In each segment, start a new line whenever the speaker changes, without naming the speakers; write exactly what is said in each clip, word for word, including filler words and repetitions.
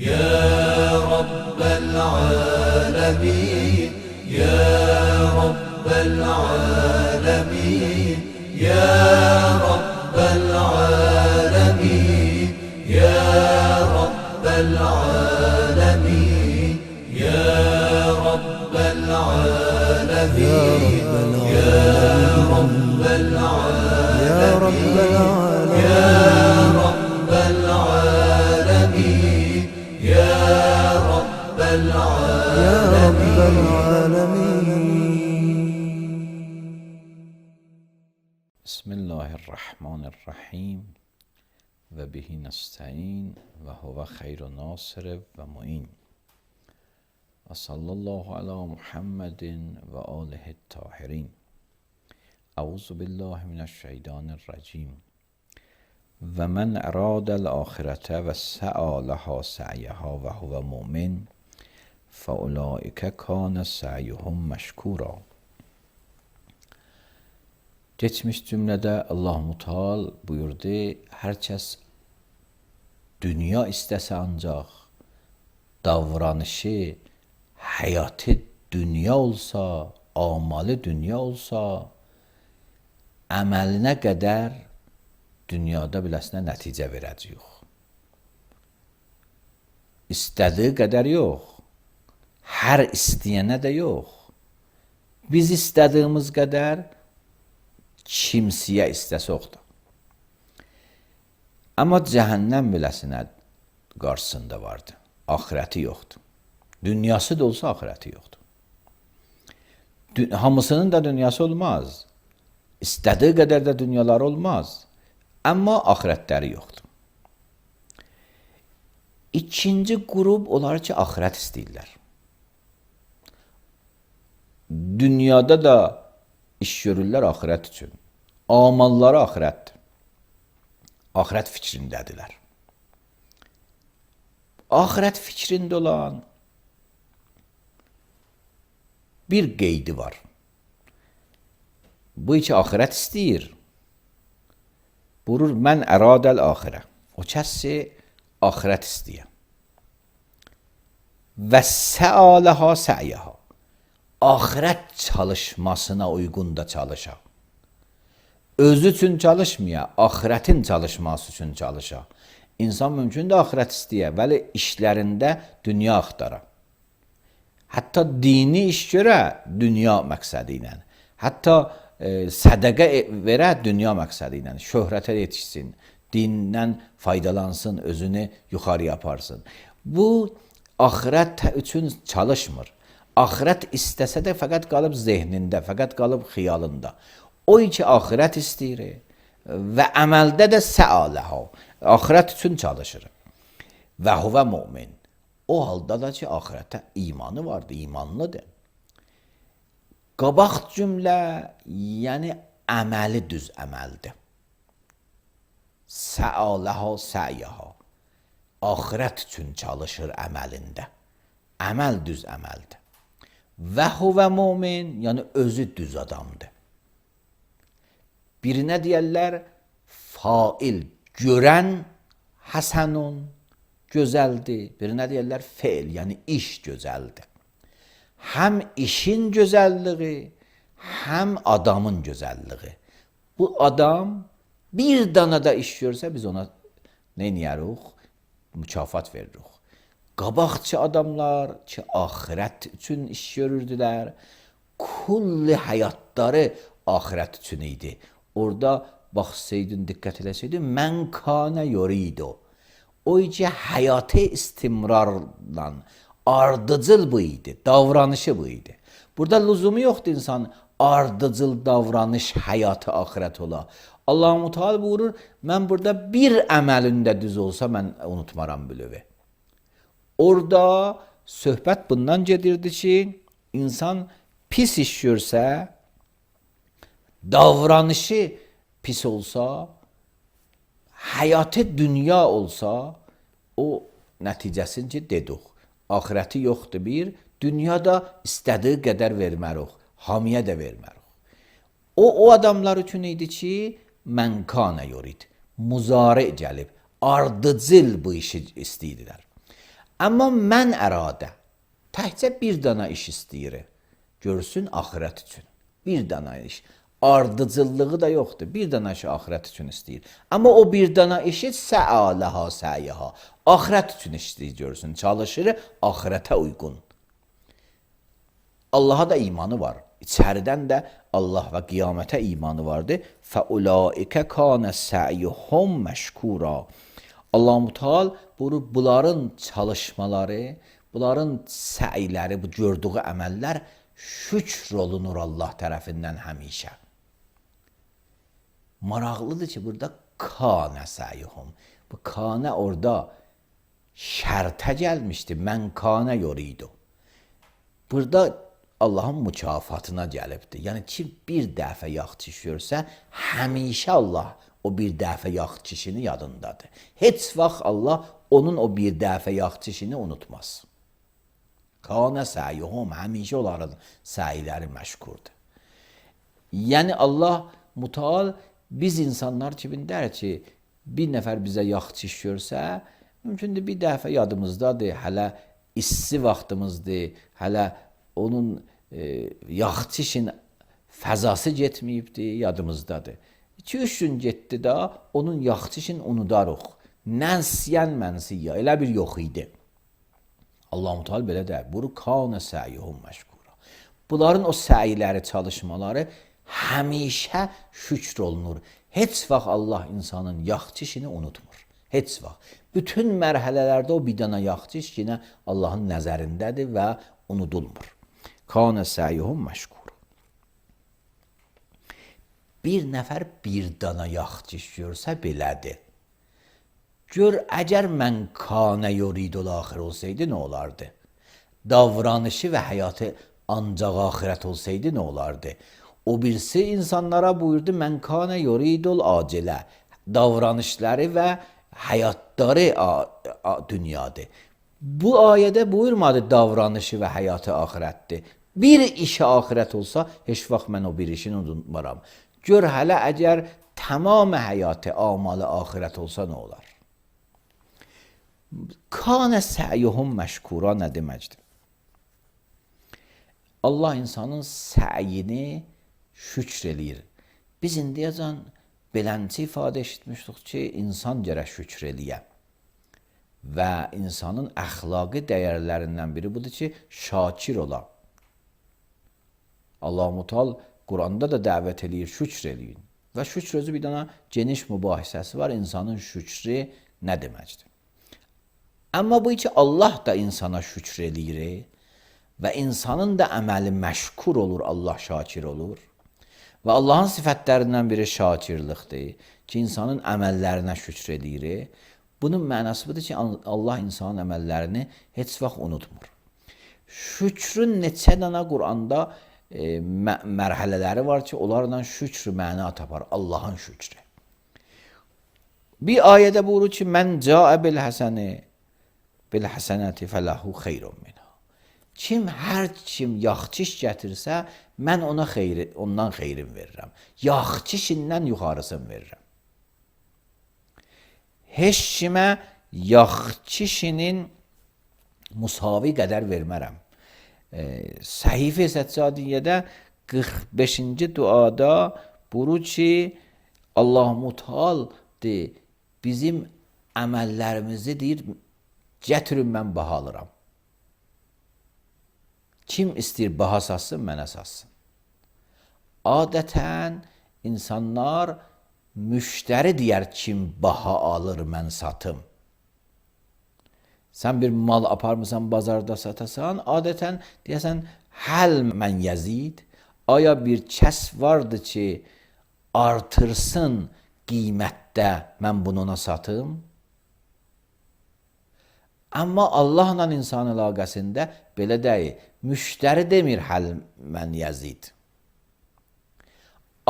يا رب العالمين يا رب العالمين يا رب العالمين يا رب العالمين يا رب العالمين يا رب العالمين يا رب العالمين يا رب العالمين.
بسم الله الرحمن الرحیم و بهی نستعین و هو خیر ناصر و معین و صلی الله علی محمد و آله الطاهرین. اعوذ بالله من الشیطان الرجیم. و من اراد الاخرة و سعی لها سعیها و هو مؤمن فاولئک کان سعیهم مشکورا. Geçmiş cümlədə Allah-u Teala buyurdu, hər kəs dünya istəsə ancaq davranışı, həyatı dünya olsa, amalı dünya olsa, əməlinə qədər dünyada biləsinə nəticə verəcəyik. İstədiyi qədər yox, hər istəyənə də yox. Biz istədiyimiz qədər kimsəyə istəsək də. Amma cəhənnəm biləsinə qarşısında vardı. Axirəti yoxdur. Dünyası da olsa axirəti yoxdur. Hamısının da dünyası olmaz. İstədiyi qədər də dünyaları olmaz. Amma axirətləri yoxdur. İkinci qrup onlar ki, axirət istəyirlər. Dünyada da iş görürlər axirət üçün. Amalları axirətdir. Axirət fikrindədirlər. Axirət fikrində olan bir qeydi var. Bu iki axirət istəyir. Buyurur, mən əradəl axirə. O kəsi axirət istəyir. Və səaləha sə'yəha. Axirət çalışmasına uyğun da çalışa. Özü üçün çalışmaya, axirətin çalışması üçün çalışa. İnsan mümkün də axirət istəyə, bəli işlərində dünya axtara. Hətta dini iş görə dünya məqsədi ilə. Hətta e, sədəqə verə dünya məqsədi ilə. Şöhrətə yetişsin, dindən faydalansın, özünü yuxarı aparsın. Bu axirət üçün çalışmır. Axirət istəsə də fəqət qalıb zehnində, fəqət qalıb xiyalında. O iki axirət istəyir və əməldə də səaləha. Axirət üçün çalışır. Və huvə mümin. O halda da ki, axirətə imanı vardır, imanlıdır. Qabaq cümlə, yəni əməli düz əməldir. Səaləha sə'yəha. Axirət üçün çalışır əməlində. Əməl düz əməldir. Və huvə mümin, yəni özü düz adamdır. Birinə deyərlər, fail, görən həsənun, gözəldir. Birinə deyərlər, feil, yəni iş gözəldir. Həm işin gözəlliyi, həm adamın gözəlliyi. Bu adam bir dana da iş görsə, biz ona nə edərik? Mükafat veririk. Qabaqçı adamlar ki, axirət üçün iş görürdülər, kulli həyatları axirət üçün idi. Orada baxsaydın, diqqət eləsəydin, mən kanə yuridu. O ki, həyatı istimrarla, ardıcıl bu idi, davranışı bu idi. Burada lüzumu yoxdur insan ardıcıl davranış, həyatı axirət ola. Allah-u Teala buyurur, mən burada bir əməlində düz olsa, mən unutmaram bilövi. Orada söhbət bundan gedirdi ki, insan pis iş görsə, davranışı pis olsa, həyatı dünya olsa, o nəticəsini ki, dedik. Axirəti yoxdur bir, dünyada istədiyi qədər vermərik, hamiyə də vermərik. O, o adamlar üçün idi ki, mən kanə yorid, muzari gəlib, ardıcıl bu işi istəyirdilər. Amma mən əradə təkcə bir dana iş istəyir. Görsün axirət üçün. Bir dana iş. Ardıcıllığı da yoxdur. Bir dana işi axirət üçün istəyir. Amma o bir dana işi sə'aləha sə'yaha. Axirət üçün işləyir görsün. Çalışır axirətə uyğun. Allaha da imanı var. İçəridən də Allah və qiyamətə imanı vardır. Fəulaikə kanə sə'yuhum məşkura. Allah-u Teala buyurur, bunların çalışmaları, bunların səyləri, bu gördüyü əməllər şükr olunur Allah tərəfindən həmişə. Maraqlıdır ki, burada kanə sə'yuhum. Bu kanə orada şərtə gəlmişdi. Mən kanə yoridu. Burada Allahın mükafatına gəlibdir. Yəni ki, bir dəfə yağ çişiyorsa, həmişə Allah o bir dəfə yağ çişini yadındadır. Heç vaxt Allah onun o bir dəfə yağ çişini unutmaz. Kanə sə'yuhum, həmişə onların səyləri məşkurdur. Yəni Allah Müteal biz insanlar kimi der ki, bir nəfər bizə yağ çişiyorsa, mümkündür bir dəfə yadımızdadır, hələ issi vaxtımızdır, hələ onun e, yağ çişin fəzası getməyibdir, yadımızdadır. iki üç gün getdi da onun yağ çişin unudarıq. Nənsiyən mənsiyə, elə bir yox idi. Allah-u Teala belə deyir, buru kanə sə'yuhum məşkura. Bunların o səyləri, çalışmaları həmişə şükr olunur. Heç vaxt Allah insanın yağ çişini unutmur. Heç vaxt. Bütün mərhələlərdə o bir dana yağ çiş yenə Allahın nəzərindədir və unudulmur. Kanə sə'yuhum məşkura. Bir nəfər bir dana yağ çişiyorsa belədir. Gör, əgər mən kanə yoridul axir olsaydı nə olardı? Davranışı və həyatı ancaq axirət olsaydı nə olardı? O birisi insanlara buyurdu, mən kanə yoridul acilə. Davranışları və həyatları dünyadır. Bu ayədə buyurmadı davranışı və həyatı axirətdir. Bir işi axirət olsa, heç vaxt mən o bir işini unutmaram. Gör, hələ əgər tamam həyatı, amalı axirət olsa nə olar? Kanə sə'yuhum məşkura nə deməkdir? Allah insanın səyini şükr eləyir. Biz indiyəcən belənci ifadə eşitmişdik ki, insan gərək şükr eləyə. Və insanın əxlaqi dəyərlərindən biri budur ki, şakir ola. Allah-u Teala Quranda da dəvət eləyir, şükr eləyin. Və şükr özü bir dana geniş mübahisəsi var, insanın şükrü nə deməkdir? Amma bu ki, Allah da insana şükr eləyir və insanın da əməli məşkur olur, Allah şakir olur. Və Allahın sifətlərindən biri şakirlikdir ki, insanın əməllərinə şükr eləyir. Bunun mənası budur ki, Allah insanın əməllərini heç vaxt unutmur. Şükrün neçə dana Quranda e, mə mərhələləri var ki, onlarla şükr məna tapar, Allahın şükrü. Bir ayədə buyurur ki, mən cəə bil həsəni bil həsənəti fələhu xeyrun minha. Kim, hər kim yaxçiş gətirsə, mən ona xeyri, ondan xeyrin verirəm. Yaxçişindən yuxarısını verirəm. Heç kimə yaxçişinin musavi qədər vermərəm. E, Səhifə Səccadiyyədə qırx beşinci duada buyurur ki, Allah-u Teala bizim əməllərimizi deyir, gətirin mən baha alıram. Kim istəyir baha satsın, mənə satsın. Adətən insanlar müştəri deyər, kim baha alır, mən satım. Sən bir mal aparmısan, bazarda satasan, adətən deyəsən, həl mən yəzid, aya bir kəs vardı ki, artırsın qiymətdə, mən bunu ona satım. Amma Allahla insan əlaqəsində belə deyil. Müştəri demir həl mən yəzid.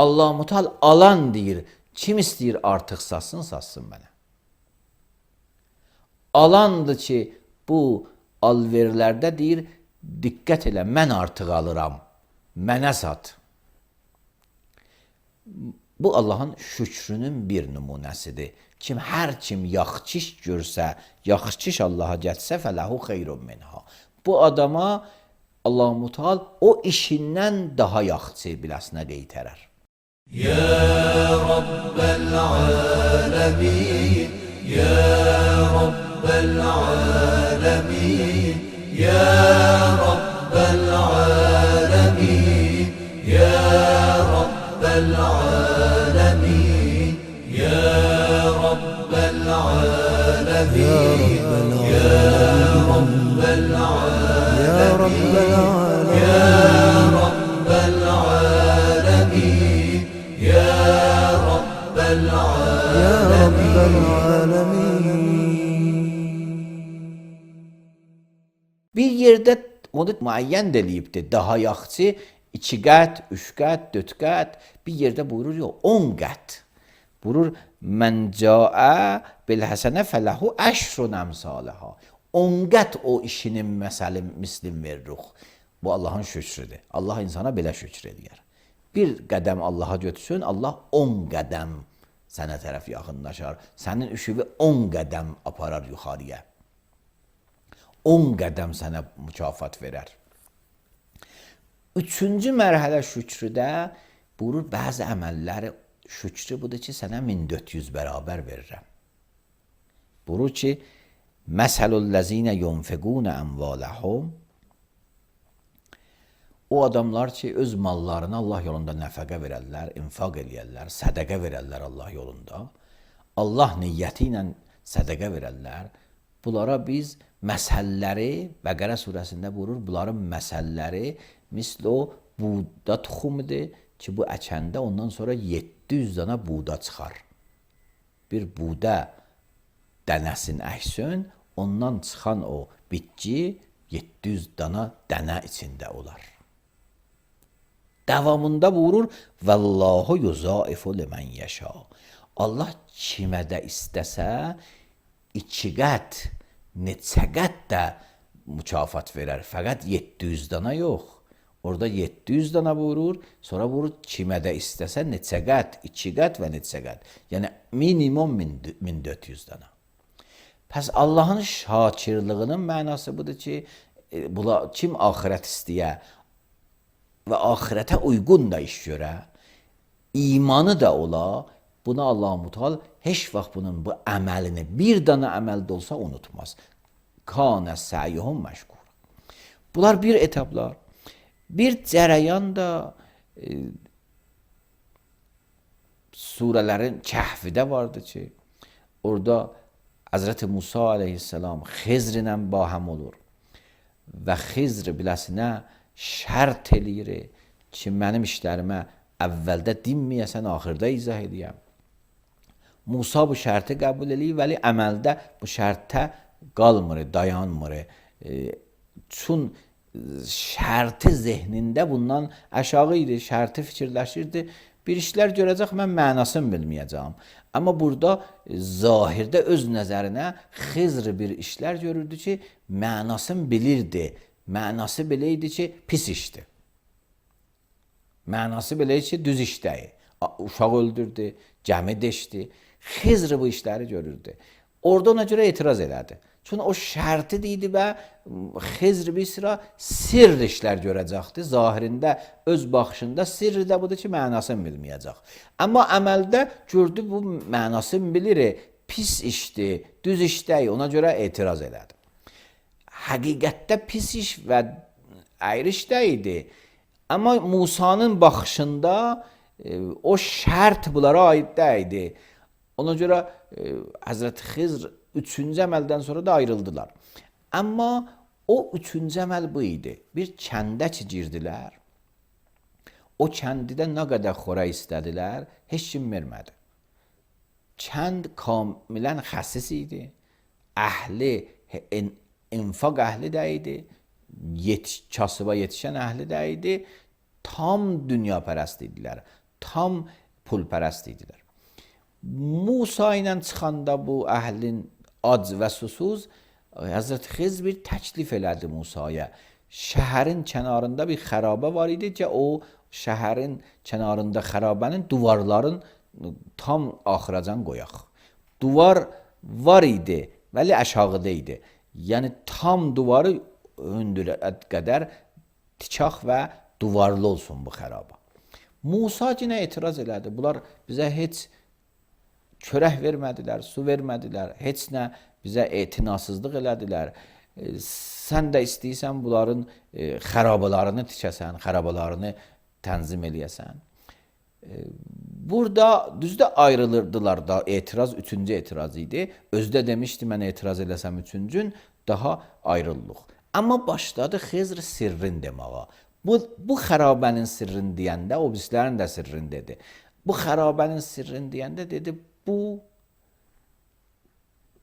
Allah-u Teala alan deyir, kim istəyir artıq satsın, satsın mənə. Alandır ki, bu alverlərdə deyir, diqqət elə, mən artıq alıram, mənə sat. Bu Allahın şükrünün bir nümunəsidir Kim hər kim yaxşı iş görsə, yaxşı iş Allaha getsə fələhu xeyrun minha. Bu adama Allah Mutal o işindən daha yaxşı biləsinə qeytərər.
Ya Rabbel alemin, Ya Rabbel alemin, Ya Rabbel alemin, Ya Rabbel alemin, Ya Rabbel alemin, Ya Rabbel alemin,
Ya Rabbel alemin,
Ya Rabbel alemin, Ya Rabbel
Ya Rabbel alemin.
Bir yerdə onu müəyyən eləyibdir. Daha yaxşı iki qət, üç qət, dörd qət. Bir yerdə buyurur ya on qət. Buyurur mən caə bil həsənə fələhu əşrun əmsaləhə. on qət o işinin məsəli mislim veririk. Bu Allahın şükrüdür. Allah insana belə şükür edir. Bir qədəm Allaha götürsün, Allah on qədəm sənə tərəf yaxınlaşar. Sənin üşüvü on qədəm aparar yuxarıya. on qədəm sənə mükafat verər. Üçüncü mərhələ şükrüdə buyurur, bəzi əməlləri şükrü budur ki, sənə min dörd yüz bərabər verirəm. Buyurur ki, məsəlullezine yunfiqune əmvaləhum, o adamlar ki, öz mallarını Allah yolunda nəfəqə verərlər, infaq eləyərlər, sədəqə verərlər Allah yolunda, Allah niyyəti ilə sədəqə verərlər, bunlara biz məsəlləri, Bəqərə surəsində buyurur, bunların məsəlləri misli o buğda tuxumudur ki, bu əkəndə ondan sonra yeddi yüz dana buğda çıxar. Bir buğda dənəsin əksin, ondan çıxan o bitki yeddi yüz dana dənə içində olar. Davamında buyurur, Vallahu yuzaifu limen yəşa. Allah kimə də istəsə, iki qət, neçə qət də mükafat verər. Fəqət yeddi yüz dana yox. Orada yeddi yüz dana buyurur, sonra buyurur, kimə də istəsə neçə qət, iki qət və neçə qət. Yəni minimum min dörd yüz dana. Pəs Allahın şakirlığının mənası budur ki, kim axirət istəyə və axirətə uyğun da iş görə, imanı da ola, buna Allah Mutal heç vaxt bunun bu əməlini, bir dana əməldə olsa unutmaz. Kanə səyyuhum məşkur. Bunlar bir etaplar. Bir cərəyan da e, surələrin Kəhfidə vardı ki, orada Həzrəti Musa aleyhisselam Xizr ilə bahəm olur və Xizr biləsinə şərt eləyir ki, mənim işlərimə əvvəldə dinməyəsən, axırda izah edəyəm. Musa bu şərti qəbul eləyir, vəli əməldə bu şərtə qalmır, dayanmır. E, çün şərti zehnində bundan aşağı idi, şərti fikirləşirdi. Bir işlər görəcək, mən mənasını bilməyəcəm. Amma burada zahirdə öz nəzərinə Xizr bir işlər görürdü ki, mənasını bilirdi. Mənası belə idi ki, pis işdir. Mənası belə idi ki, düz işdəyir. Uşaq öldürdü, gəmi deşdi. Xizr bu işləri görürdü. Orada ona görə etiraz elədi. Çünki o şərti idi və Xizr bir sıra sirr işlər görəcəkdi. Zahirində, öz baxışında sirr də budur ki, mənasını bilməyəcək. Amma əməldə gördü, bu mənasını bilir, pis işdir, düz işdəyir, ona görə etiraz elədi. Həqiqətdə pis iş və əyri işdə idi. Amma Musanın baxışında e, o şərt bunlara aid deyildi. Ona görə e, Həzrət Xizr üçüncü əməldən sonra da ayrıldılar. Amma o üçüncü əməl bu idi. Bir kəndə ki girdilər. O kəndidə nə qədər xora istədilər, heç kim vermədi. Kənd kamilən xəsis idi. Əhli, infaq əhli də idi. Yet, kasıba yetişən əhli də idi. Tam dünya pərəst idilər. Tam pul pərəst idilər. Musa ilə çıxanda bu əhlin ac və susuz, Həzrət Xizr bir təklif elədi Musaya. Şəhərin kənarında bir xərabə var idi ki, o şəhərin kənarında xərabənin duvarların tam axıracan qoyaq. Duvar var idi, vəli aşağıda idi. Yəni tam duvarı hündürət qədər tikaq və duvarlı olsun bu xəraba. Musa yenə etiraz elədi. Bunlar bizə heç çörək vermədilər, su vermədilər, heç nə bizə etinasızlıq elədilər. E, sən də istəyirsən bunların e, xərabalarını tikəsən, xərabalarını tənzim eləyəsən. E, burada düzdə ayrılırdılar da, etiraz üçüncü etiraz idi. Özdə demişdi, mən etiraz eləsəm üçüncün, daha ayrıllıq. Amma başladı Xizr sirrin deməyə. Bu, bu xərabənin sirrini deyəndə, o bizlərin də sirrini dedi. Bu xərabənin sirrini deyəndə dedi, bu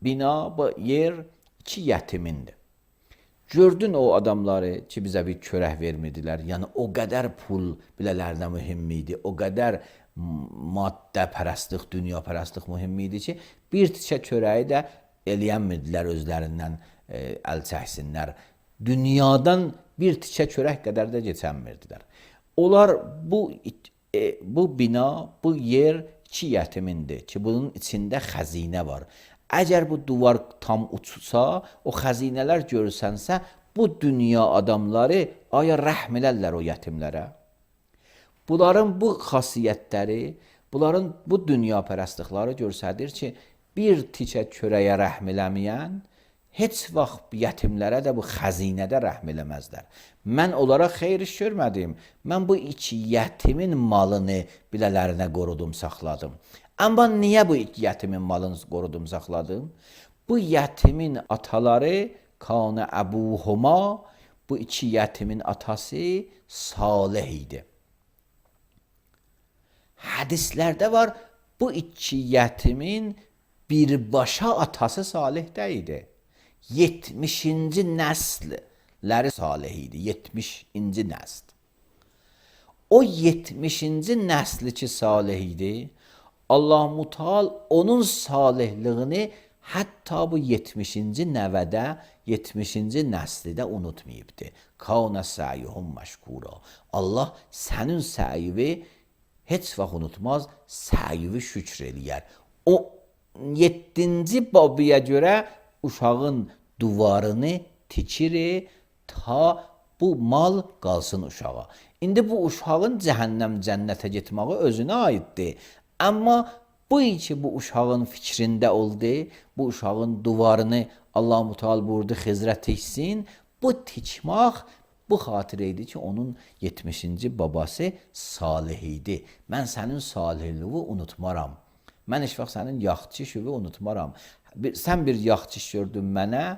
bina, bu yer iki yətimindir. Gördün o adamları ki, bizə bir çörək vermirdilər. Yəni, o qədər pul bilələrinə mühüm idi, o qədər maddə pərəstlik, dünya pərəstlik mühüm idi ki, bir tikə çörəyi də eləyənmirdilər özlərindən e, əl çəksinlər. Dünyadan bir tikə çörək qədər də keçənmirdilər. Onlar bu, e, bu bina, bu yer iki yətimindir ki, bunun içində xəzinə var. Əgər bu duvar tam uçsa, o xəzinələr görürsənsə, bu dünya adamları aya rəhm elərlər o yətimlərə. Bunların bu xasiyyətləri, bunların bu dünya pərəstlikləri görsədir ki, bir tikə çörəyə rəhm eləməyən, heç vaxt yətimlərə də bu xəzinədə rəhm eləməzlər. Mən onlara xeyr iş görmədim. Mən bu iki yətimin malını bilələrinə qorudum, saxladım. Amma niyə bu iki yətimin malını qorudum, saxladım? Bu yətimin ataları Kana Əbuhuma, bu iki yətimin atası Salih idi. Hədislərdə var, bu iki yətimin birbaşa atası Salih də idi. yetmişinci nəsləri Salih idi. yetmişinci nəsl. O yetmişinci nəsli ki Salih idi, Allah-u Teala onun salihliyini hətta bu yetmişinci nəvədə, yetmişinci nəslidə unutmayıbdı. Kana sa'yuhum məşkura. Allah sənin səyivi heç vaxt unutmaz, səyivi şükr eləyər. O yeddinci babıya görə uşağın duvarını tikir ta bu mal qalsın uşağa. İndi bu uşağın cəhənnəm cənnətə getməyi özünə aiddir. Amma bu ki bu uşağın fikrində oldu, bu uşağın duvarını Allah-u Teala buyurdu Xizrə tiksin. Bu tikmək bu xatirə idi ki, onun yetmişinci babası Salih idi. Mən sənin salihliyi unutmaram. Mən heç vaxt sənin yaxçı işini unutmaram. Bir, sən bir yaxçı iş gördün mənə,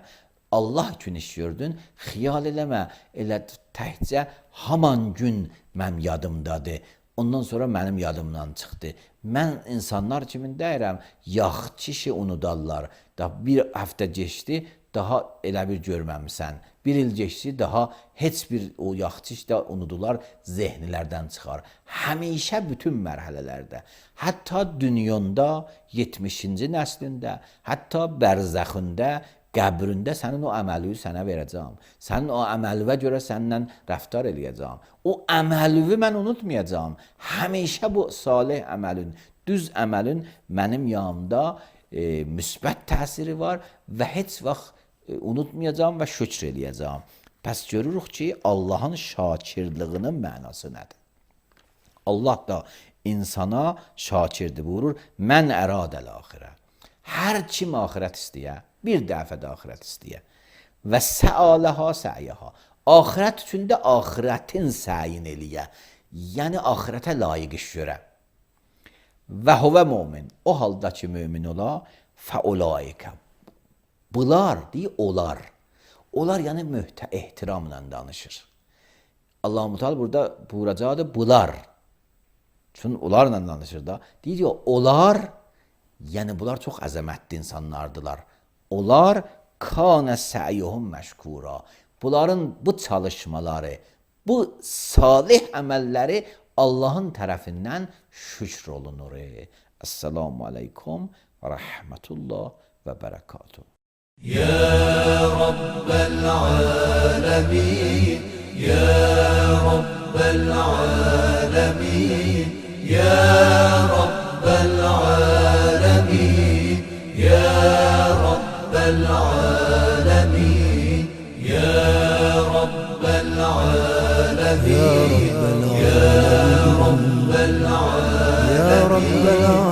Allah üçün iş gördün, xiyal eləmə, elə təkcə haman gün mənim yadımdadır. Ondan sonra mənim yadımdan çıxdı. Mən insanlar kimin deyirəm, yaxçı işi unudarlar. Da bir həftə geçdi, daha elə bir görməmisən. Bir il geçdi, daha heç bir o yaxçı iş də unudular, zehnilərdən çıxar. Həmişə bütün mərhələlərdə, hətta dünyanda, yetmişinci nəslində, hətta bərzəxində, qəbrində sənin o əməliyi sənə verəcəm. Sənin o əməlivə görə səndən rəftar eləyəcəm. O əməlivi mən unutmayacağım. Həmişə bu salih əməlin, düz əməlin mənim yanımda e, müsbət təsiri var və heç vaxt e, unutmayacağım və şükr eləyəcəm. Pəs görürük ki, Allahın şakirliyinin mənası nədir? Allah da insana şakirdir buyurur. Mən əradəl axirə. Hər kim axirət istəyə, bir dəfə də axirət istəyə. Və səaləhə səyiyyəhə. Axirət üçün də axirətin səyin eləyə. Yəni axirətə layiq iş görə. Və huvə mümin. O halda ki mümin ola, fəulaikə. Bunlar deyil, olar. Onlar yəni mühtə ehtiramla danışır. Allah-u Teala burada buyuracaqdır, bunlar. Çünki onlarla danışır da. Deyir ya, onlar, yəni bunlar çox əzəmətli insanlardılar. Onlar kana səyyuhum məşkura. Bunların bu çalışmaları, bu salih əməlləri Allahın tərəfindən şükr olunur. Esselamu aleykum və rəhmətullah və bərəkatuhu.
يا رب العالمين يا رب العالمين يا رب العالمين العالمين يا رب العالمين
يا رب العالمين